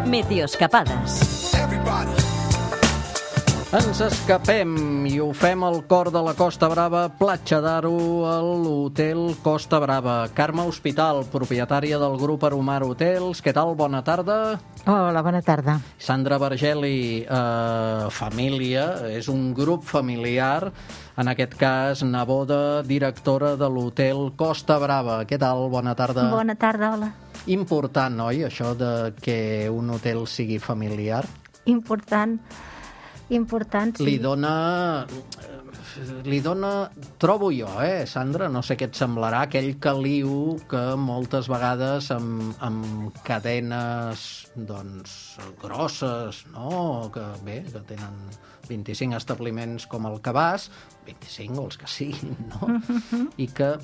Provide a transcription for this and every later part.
Meteoscapades. Ens escapem i ho fem al cor de la Costa Brava, Platja d'Aro, a l'Hotel Costa Brava. Carme Hospital, propietària del grup Aromar Hotels. Què tal? Bona tarda. Hola, bona tarda. Sandra Vergeli, família, és un grup familiar, en aquest cas neboda, directora de l'Hotel Costa Brava. Què tal? Bona tarda. Bona tarda, hola. Important, oi, això de que un hotel sigui familiar? Important, sí. Li dona, trobo jo, Sandra, no sé què et semblarà, aquell caliu que moltes vegades amb cadenes, doncs, grosses, no?, que tenen 25 establiments com el Cabàs, 25 o els que siguin, no?, i que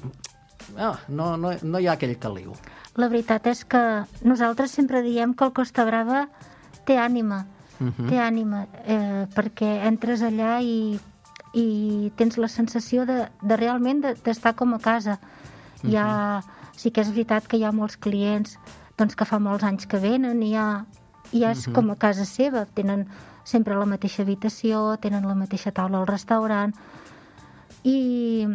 no hi ha aquell caliu. La veritat és que nosaltres sempre diem que el Costa Brava té ànima, perquè entres allà i tens la sensació de realment d'estar com a casa. Sí que és veritat que hi ha molts clients doncs, que fa molts anys que venen i ja és com a casa seva. Tenen sempre la mateixa habitació, tenen la mateixa taula al restaurant i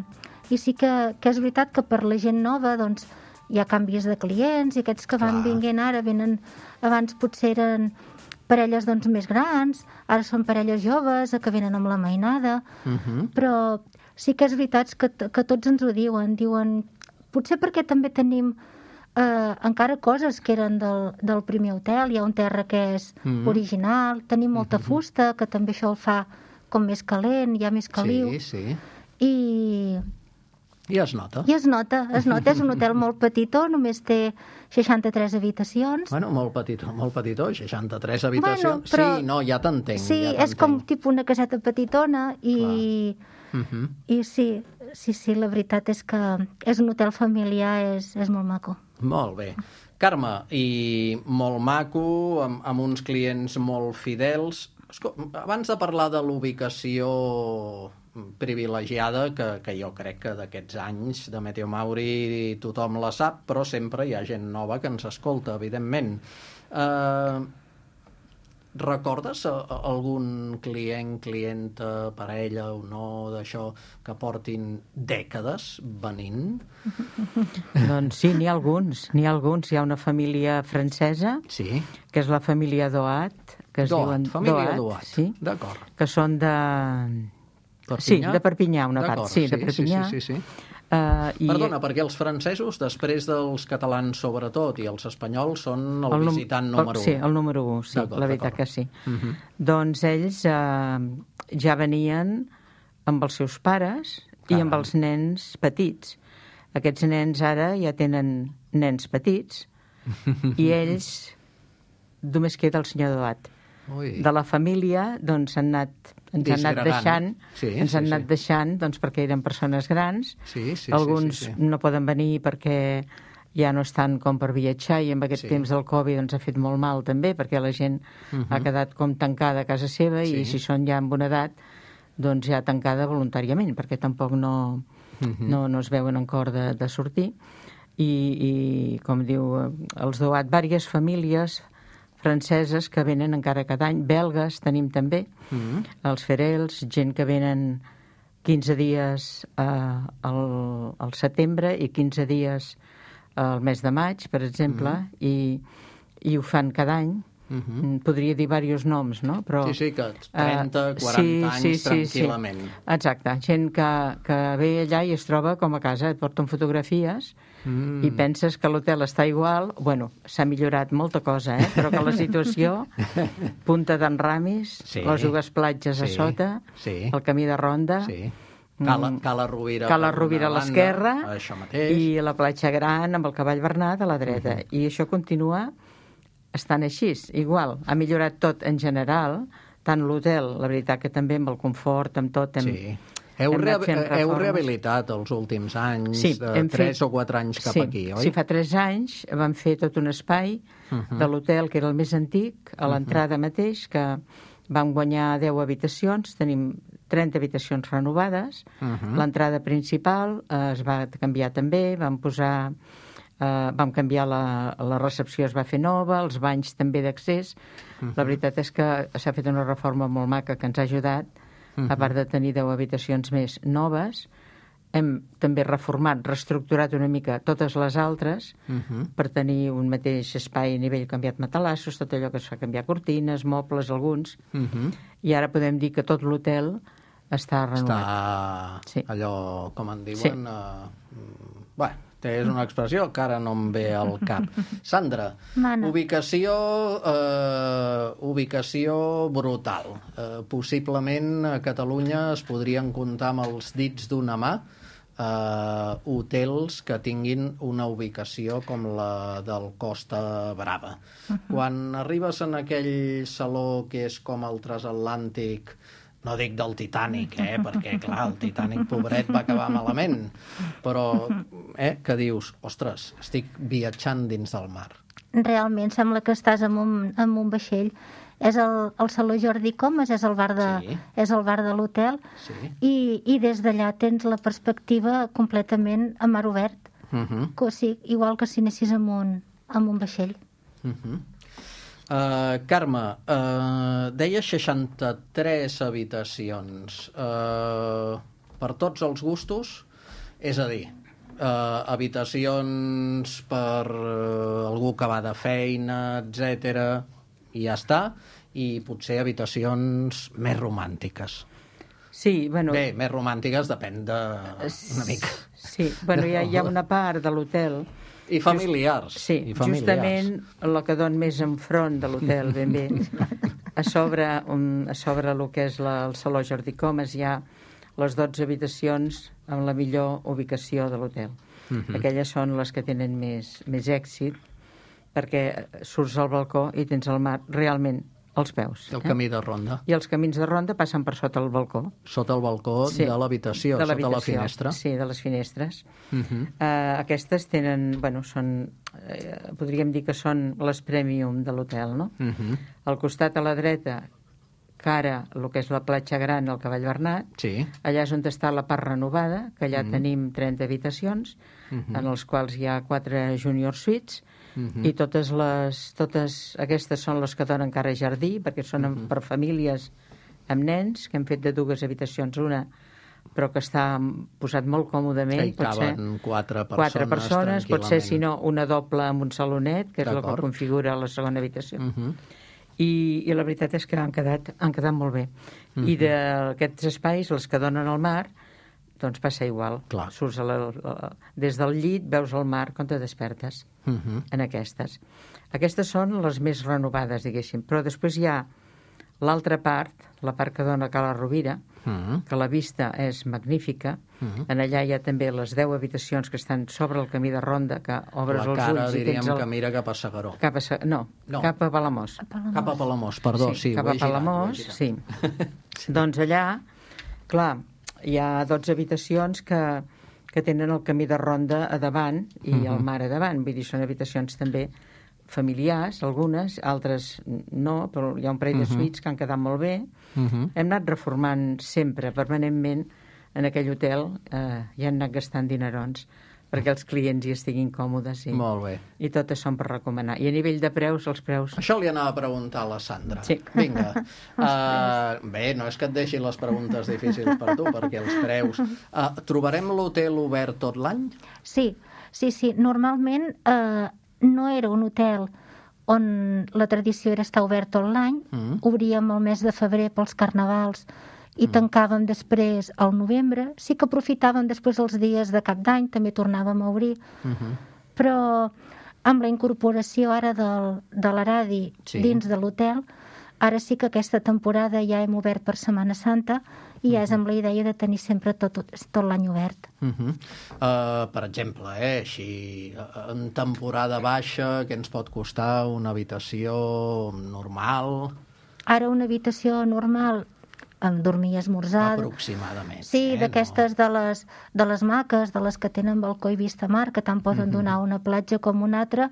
sí que és veritat que per la gent nova doncs, hi ha canvis de clients i aquests que van vinguent ara venen, abans potser eren parelles doncs, més grans, ara són parelles joves que venen amb la mainada, però sí que és veritat que tots ens ho diuen, potser perquè també tenim encara coses que eren del primer hotel, hi ha un terra que és original, tenim molta fusta, que també això el fa com més calent, hi ha més caliu. Sí. I es nota. És un hotel molt petitó, només té 63 habitacions. Bueno, molt petitó, 63 habitacions. Bueno, però... Sí, ja t'entenc. Sí, és com tipus una caseta petitona i sí, la veritat és que és un hotel familiar, és molt maco. Molt bé. Carme, i molt maco, amb uns clients molt fidels. Abans de parlar de l'ubicació privilegiada, que jo crec que d'aquests anys de Meteo Mauri tothom la sap, però sempre hi ha gent nova que ens escolta, evidentment. Recordes algun clienta, parella o no, d'això, que portin dècades venint? Doncs sí, n'hi ha alguns. Hi ha una família francesa, que és la família Doat, que es diuen família Doat, sí, d'acord. Que són de... Perpinyà? Sí, de Perpinyà, una part. Sí, de Perpinyà. Sí. Perdona, perquè els francesos, després dels catalans sobretot, i els espanyols, són el visitant número 1. Sí, el número 1, sí, la veritat que sí. Doncs ells ja venien amb els seus pares i amb els nens petits. Aquests nens ara ja tenen nens petits i ells només queda el senyor Doat. De la família, doncs, ens han anat deixant doncs, perquè eren persones grans. Alguns no poden venir perquè ja no estan com per viatjar i amb aquest temps del Covid doncs, ha fet molt mal també, perquè la gent ha quedat com tancada a casa seva i si són ja en bona edat, doncs ja tancada voluntàriament, perquè tampoc no es veuen en cor de sortir. I com diu els Doat, diverses famílies franceses que venen encara cada any, belgues tenim també, els Ferels, gent que venen 15 dies al setembre i 15 dies al mes de maig, per exemple, i ho fan cada any. Podria dir diversos noms, no? Però, sí, que 30, 40 anys tranquil·lament. Exacte, gent que ve allà i es troba com a casa, et porten fotografies i penses que l'hotel està igual. Bueno, s'ha millorat molta cosa, però que la situació, Punta d'en Ramis, les dues platges a sota, el camí de Ronda, Cala Rovira a l'esquerra i la platja gran amb el Cavall Bernat a la dreta. I això continua estan així, igual. Ha millorat tot en general, tant l'hotel, la veritat que també amb el confort, amb tot. Heu rehabilitat els últims anys, 3 o 4 anys cap aquí, oi? Sí, fa 3 anys vam fer tot un espai de l'hotel, que era el més antic, a l'entrada mateix, que vam guanyar 10 habitacions, tenim 30 habitacions renovades, l'entrada principal es va canviar també, vam posar vam canviar la recepció, es va fer nova, els banys també d'accés. La veritat és que s'ha fet una reforma molt maca que ens ha ajudat, a part de tenir 10 habitacions més noves. Hem també reformat, reestructurat una mica totes les altres per tenir un mateix espai a nivell, canviat matalassos, tot allò que es fa canviar cortines, mobles, alguns. I ara podem dir que tot l'hotel està renovat. Està allò, com en diuen... Bé, és una expressió que ara no em ve al cap. Sandra, ubicació brutal. Possiblement a Catalunya es podrien comptar amb els dits d'una mà hotels que tinguin una ubicació com la del Costa Brava. Quan arribes en aquell saló que és com el transatlàntic, no dic del Titanic, perquè, clar, el Titanic, pobret, va acabar malament, però que dius, ostres, estic viatjant dins del mar. Realment sembla que estàs en un vaixell. És el Saló Jordi Comas, és el bar de l'hotel, i des d'allà tens la perspectiva completament a mar obert, igual que si anessis amb un vaixell. Carme, deia 63 habitacions. Per tots els gustos? És a dir, habitacions per algú que va de feina, etc. I ja està, i potser habitacions més romàntiques. Sí, bueno... Bé, més romàntiques depèn una mica. Sí, bueno, hi ha una part de l'hotel... I familiars. Sí, justament el que dona més enfront de l'hotel, ben bé. A sobre el que és el Saló Jordi Comas hi ha les 12 habitacions amb la millor ubicació de l'hotel. Aquelles són les que tenen més èxit, perquè surts al balcó i tens el mar realment als peus. El camí de ronda. I els camins de ronda passen per sota el balcó. Sota el balcó de l'habitació, sota la finestra. Sí, de les finestres. Aquestes tenen, podríem dir que són les premium de l'hotel, no? Al costat a la dreta, cara, el que és la platja gran, el Cavall Bernat, allà és on està la part renovada, que allà tenim 30 habitacions, en els quals hi ha 4 junior suites, i totes aquestes són les que donen cara a jardí, perquè són per famílies amb nens, que hem fet de 2 habitacions una, però que està posat molt còmodament. Hi caben 4 persones, pot ser, si no, una doble amb un salonet, que és el que configura la segona habitació. I la veritat és que han quedat molt bé. I d'aquests espais, els que donen al mar, doncs passa igual. Surts des del llit, veus el mar quan te despertes en aquestes. Aquestes són les més renovades, diguéssim. Però després hi ha l'altra part, la part que dona a Cala Rovira, que la vista és magnífica. En allà hi ha també les 10 habitacions que estan sobre el camí de ronda, que obres els ulls... La cara, diríem, que mira cap a Segaró. No, cap a Palamós. Cap a Palamós, perdó. Sí, cap a Palamós, sí. Doncs allà, clar, hi ha 12 habitacions que tenen el camí de ronda a davant i el mar a davant. Vull dir, són habitacions també familiars, algunes, altres no, però hi ha un parell de suites que han quedat molt bé. Hem anat reformant sempre, permanentment, en aquell hotel, i han anat gastant dinerons perquè els clients hi estiguin còmodes. Molt bé. I totes són per recomanar. I a nivell de preus, els preus... Això li anava a preguntar a la Sandra. Sí. Vinga. Bé, no és que et deixi les preguntes difícils per tu, perquè els preus... Trobarem l'hotel obert tot l'any? Sí. Normalment no era un hotel on la tradició era estar obert tot l'any. Obríem el mes de febrer pels carnavals i tancàvem després al novembre. Sí que aprofitàvem després els dies de cap d'any, també tornàvem a obrir. Però amb la incorporació ara de l'Aradi dins de l'hotel, ara sí que aquesta temporada ja hem obert per Setmana Santa i ja és amb la idea de tenir sempre tot l'any obert. Per exemple, així, en temporada baixa, què ens pot costar una habitació normal? Ara una habitació normal amb dormir i esmorzar... Aproximadament. Sí, d'aquestes de les maques, de les que tenen balcó i vista mar, que tant poden donar una platja com una altra,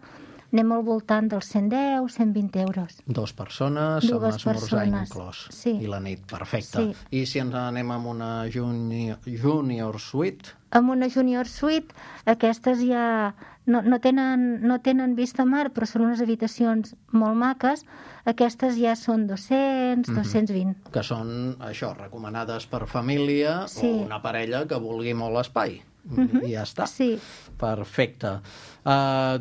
anem al voltant dels 110, 120 euros. 2 persones, amb esmorzar inclòs. Sí. I la nit, perfecte. Sí. I si ens anem amb una junior suite? Amb una junior suite, aquestes ja no tenen vista mar, però són unes habitacions molt maques. Aquestes ja són 200, 220. Que són, això, recomanades per família o una parella que vulgui molt espai. I ja està. Sí. Perfecte.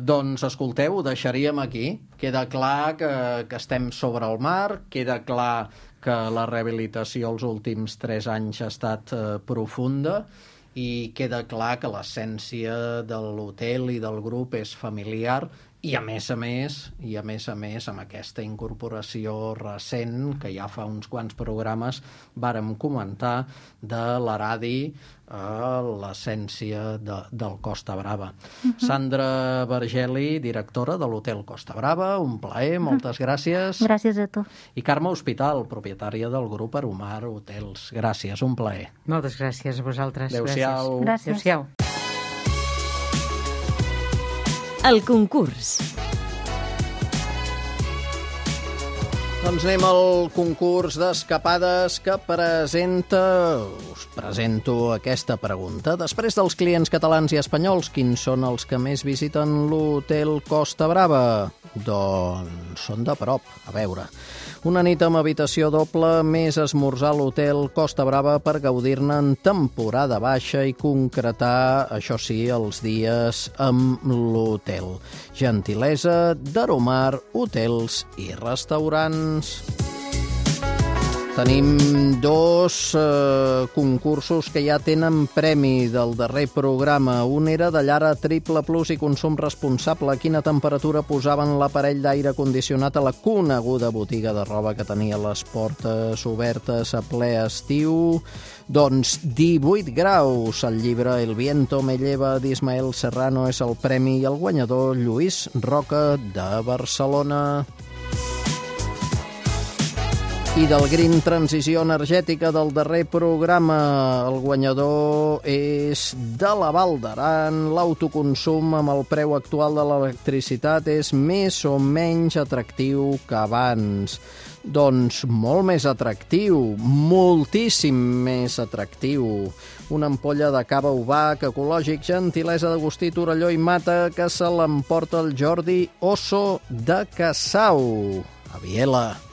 Doncs, escolteu, ho deixaríem aquí. Queda clar que estem sobre el mar, queda clar que la rehabilitació els últims 3 anys ha estat profunda, i queda clar que l'essència de l'hotel i del grup és familiar i a més a més amb aquesta incorporació recent que ja fa uns quants programes vàrem comentar de l'Aradi a l'essència del Costa Brava. Sandra Vergeli, directora de l'Hotel Costa Brava, un plaer, moltes gràcies. Gràcies a tu. I Carme Hospital, propietària del grup Aromar Hotels. Gràcies, un plaer. Moltes gràcies a vosaltres. Adéu-siau. Gràcies. Adéu-siau. El concurs. Doncs anem al concurs d'escapades que us presento aquesta pregunta. Després dels clients catalans i espanyols, quins són els que més visiten l'Hotel Costa Brava? Doncs són de prop, a veure. Una nit amb habitació doble més esmorzar a l'Hotel Costa Brava per gaudir-ne en temporada baixa i concretar, això sí, els dies amb l'hotel. Gentilesa d'Aromar Hotels i Restaurants. Tenim 2 concursos que ja tenen premi del darrer programa. Un era de llar a triple plus i consum responsable. A quina temperatura posaven l'aparell d'aire condicionat a la coneguda botiga de roba que tenia les portes obertes a ple estiu? Doncs 18 graus. El llibre El viento me lleva d'Ismael Serrano és el premi i el guanyador Lluís Roca de Barcelona. I del Green Transició Energètica del darrer programa, el guanyador és de la Val d'Aran. L'autoconsum amb el preu actual de l'electricitat és més o menys atractiu que abans. Doncs molt més atractiu, moltíssim més atractiu. Una ampolla de cava Ubac, ecològic, gentilesa d'Agustí Torelló i Mata, que se l'emporta el Jordi Osso de Cassau, a Viela.